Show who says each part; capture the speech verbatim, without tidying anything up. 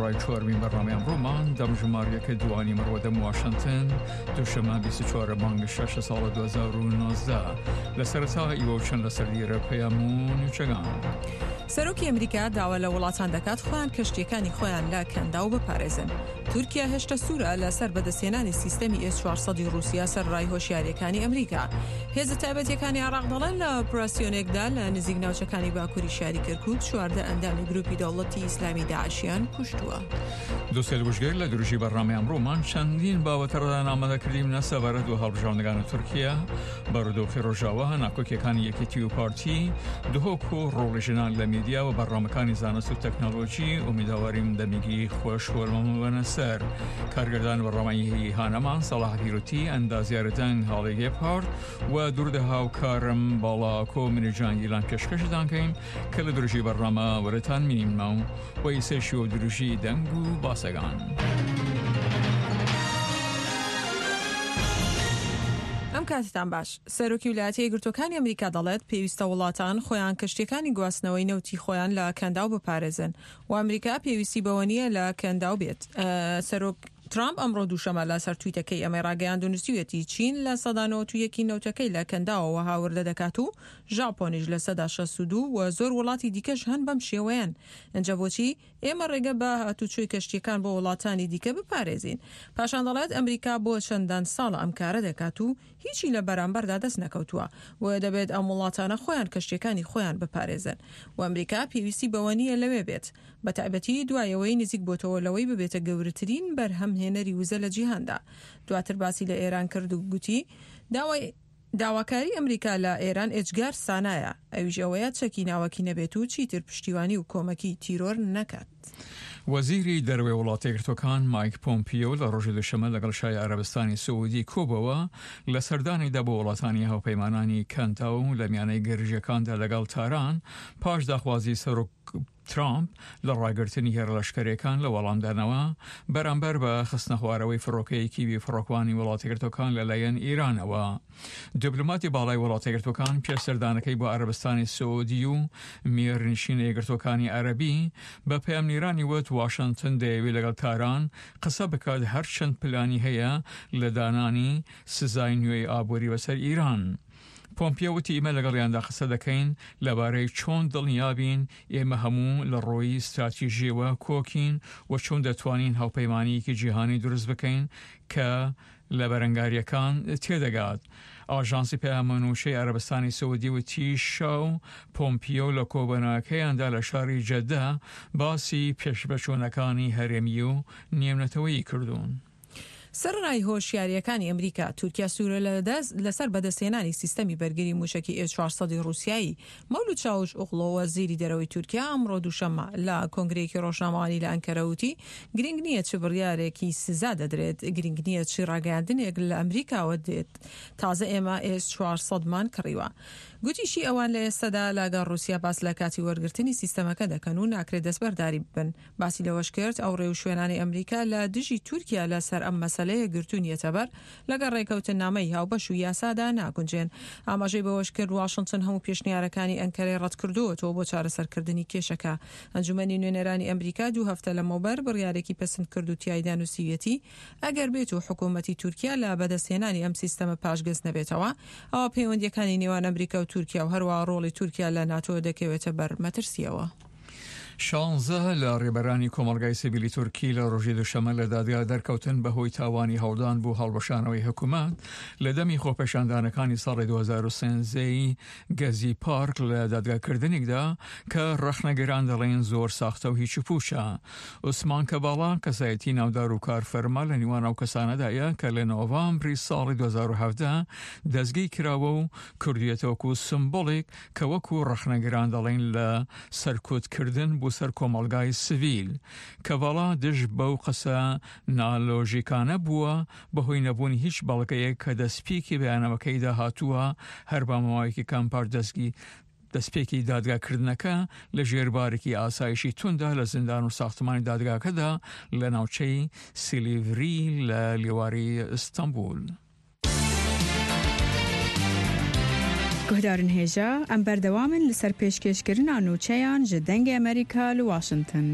Speaker 1: ئەڕای چوارمین بەرنامەی ئەمڕۆمان دەمژماریەکە دوانی مڕوەدەم واشنگتن دوشەمە بیست و چوار مانگ شەش ساڵ دوو هەزار و نۆزدە لە سەرەتا ئیوە چەند لەسەر دیرە پەیام و نوچەگان.
Speaker 2: سەرۆکی ئەمریکا داوا لە وڵاتان دەکات خۆیان کەشتیەکانی خۆیان لە کەنداو بپارێزن. تورکیا هێشتا سوورە لەسەر بەدەستهێنانی سیستەمی ئێس چوار سەد ڕووسیا سەر ڕای هۆشیاریەکانی ئەمریکا. هێزە تایبەتیەکانی عێراق دەڵێن لە ئۆپراسیۆنێکدا لە نزیک ناوچەکانی باکووری شاری کەرکوک چواردە ئەندامی گروپی دەوڵەتی ئیسلامی داعشیان کوشتووە.
Speaker 1: دووسێل گوشگەر لە درژی بەرنامەی ئەمڕۆمان چەندین باوەتەڕدا ئامادەکردیمنە سەبارەت بە هەڵبژاردنەکانی تورکیا، بارودۆخی ڕۆژاوا، ناکۆکیەکانی یەکێتی و پارتی، دهۆک و ڕۆڵی ژنان لە میدیا و بەرنامەکانی زانست و تەکنەلۆژی. ئومیدەواریم دەمیگی خۆش وەرمەمەبەنە سەر. کارگردان بەرنامەی هانەمان سەڵاح پیروتی، ئەندازیار دەنگ هاڵی گێپهارد و دووردە هاوکارم باڵاکۆ منیجانگیلان پێشکەشتان کەین کە لە درژی بەرنامە وەرەتان مینیمنەوە و ئیسەشی و درژی دەنگ و باسەگان.
Speaker 2: ئەم کاتتان باش. سەرۆکی ویلایەتە یەکگرتووەکانی ئەمریکا دەڵێت پێویستە وڵاتان خۆیان کەشتیەکانی گواستنەوەی نەوتی خۆیان لە کەنداو بپارێزن و ئەمریکا پێویستی بەوە نییە لە کەنداو بێت. سەرۆک ترامپ ئەمڕۆ دووشەمە لەسەر تویتەکەی ئەمەی ڕاگەیاند و نووسیویەتی چین لە سەدا نەوەت و یەکی نەوتەکەی لە کەنداوەوە هاوردە دەکات و ژاپۆنیش لە سەدا شەست و دوو و زۆر وڵاتی دیکەش هەن بەم شێوەیەن. ئەنجا بۆچی ئێمە ڕێگە بە هاتوچۆی کەشتیەکان بۆ وڵاتانی دیکە بپارێزین؟ پاشان دەڵێت ئەمریکا بۆ چەندان ساڵە ئەم کارە دەکات و هیچی لە بەرامبەردا دەست نەکەوتووە، بۆیە دەبێت ئەم وڵاتانە خۆیان کەشتیەکانی خۆیان بپارێزن و ئەمریکا پێویستی بەوە نییە لەوێ بێت، بە تایبەتی دوایەوەی نزیک بۆتەوە لەوەی ببێتە گەورەترین بەرهەمهێنەری وزە لە جیهاندا. دواتر باسی لە ئێران کرد و گوتی داوای داواکاری ئەمریکا لە ئێران ئێجگار سانایە، ئەویش ئەوەیە چەکی ناوەکی نەبێت و چیتر پشتیوانی و کۆمەکی تیرۆر نەکات.
Speaker 1: وەزیری دەرەوەی وڵاتە یەکگرتووەکان مایک پۆمپیۆ لە ڕۆژی دوشەمە لەگەڵ شای عەرەبستانی سعودی کۆبەوە لە سەردانیدا بۆ وڵاتانی هاوپەیمانانی کەنداو لە میانەی گرژیەکاندا لەگەڵ تاران پاش داخوازی سەرۆک ترامپ لە ڕاگرتنی هێرەلەشکەرەکان لە وەڵامدانەوە بەرامبەر بە خستنەخوارەوەی فڕۆکەیەکی بێفڕۆکوانی وڵاتە یەکگرتووەکان لەلایەن ئێرانەوە. دیپلۆماتی باڵای وڵاتە یەکگرتووەکان پێش سەردانەکەی بۆ عەرەبستانی سعودی و میرنشینە یەکگرتووەکانی عەرەبی بە پەیامنێرانی وت واشنگتن دەیەوێت لەگەڵ تاران قسە بکات هەرچەند پلانی هەیە لە دانانی سزای نوێی ئابووری بەسەر ئیران. پۆمپیۆ وتی ئێمە لەگەڵیاندا قسە دەکەین لەبارەی چۆن دڵنیابین ئێمە هەموو لە ڕۆیی ستراتیژیەوە کۆکین و چۆن دەتوانین هاوپەیمانیەکی جیهانی دروست بکەین کە لە بەرەنگاریەکان تێدەگات. ئاژانسی پەیامنووشەی عەرەبستانی سعودی وتی شا و پۆمپیۆ لە کۆبەناکەیاندا لە شاری جەدە باسی پێشبەچوونەکانی هەرێمی و نێونەتەوەیی کردوون.
Speaker 2: سەرڕای هۆشیاریەکانی ئەمریکا، تورکیا سوورە لەسەر بەدەستهێنانی سیستەمی بەرگری موشەکی ئێس چوار سەد ڕووسیایی. مەولود چاوش ئۆغڵۆ وەزیری دەرەوەی تورکیا ئەمڕۆ دووشەممە لە کۆنگرەیەکی ڕۆژنامەوانی لە ئەنکەرە وتی گرنگ نییە چ بڕیارێکی سزا دەدرێت، گرنگ نییە چی ڕاگەیاندنێک لە ئەمریکاوە دێت، تازە ئێمە ئێس چوار سەدمان کڕیوە. گوتیشی ئەوان لە ئێستادا لەگەڵ ڕووسیا باس لە کاتی وەرگرتنی سیستەمەکە دەکەن و ناکرێت دەستبەرداری ببن. باسی لەوەش کرد ئەو ڕێوشوێنانەی ئەمریکا لە دژی تورکیا لەسەر ئەم مەسەلەیە گرتوونیەتە بەر لەگەڵ ڕێکەوتنامەی هاوبەش و یاسادا ناگونجێن. ئاماژەی بەوەش کرد واشنگتن هەموو پێشنیارەکانی ئەنکەرەی ڕەتکردووەتەوە بۆ چارەسەرکردنی کێشەکە. ئەنجومەنی نوێنەرانی ئەمریکا دوو هەفتە لەمەوبەر بڕیارێکی پەسند کرد و تیایدا نووسیویەتی ئەگەر بێت و حکوومەتی تورکیا لە بەدەستهێنانی ئەم سیستەمە پاشگەز نەبێتەوە، ئەوە پەیوەندیەکانی نێوان ئەمریکا و تورکیا و هەروەها ڕۆڵی تورکیا لە ناتۆ دەکەوێتە بەر مەترسیەوە.
Speaker 1: شانزە لە ڕێبەرانی کۆمەڵگای سیڤیلی تورکی لە ڕۆژی دوشەمە لە دادگا دەرکەوتن بەهۆی تاوانی هەوڵدان بۆ هەڵوەشانەوەی حکوومەت لە دەمی خۆپێشاندانەکانی ساڵی دوو هەزار و سێزدە گەزی پارک لە دادگاکردنێکدا کە ڕەخنەگران دەڵێن زۆر ساختە و هیچ و پوچە. عوسمان کەباڵا کەسایەتی ناودار و کارفەرما لە نێوان ئەو کەسانەدایە کە لە نۆڤامبری ساڵی دوو هەزار و حەڤدە دەستگیر کراوە و کردویەتە وەکو سمبۆڵێک کە وەکو ڕەخنەگران دەڵێن لە سەرکوتکردن بۆ سەر کۆمەڵگای سڤیل. کەڤاڵا دژ بەو قسە نالۆژیکانە بووە بەهۆی نەبوونی هیچ بەڵگەیەک کە دەستپێکی بەیاننامەکەیدا هاتووە هەر بە ماوەیەکی کەم پاش دەستگی دەستپێکی دادگاکردنەکە لە ژێربارێکی ئاسایشی توندا لە زیندان و ساختمانی دادگاکەدا لە ناوچەی سیلیڤری لە لێواری ئیستانبول.
Speaker 3: گوهدارن هێژا ئەم بەردەوامن لەسەر پێشکێشکردنا نوچەیان ji دەنگی ئەمریکا لە واشنگتن.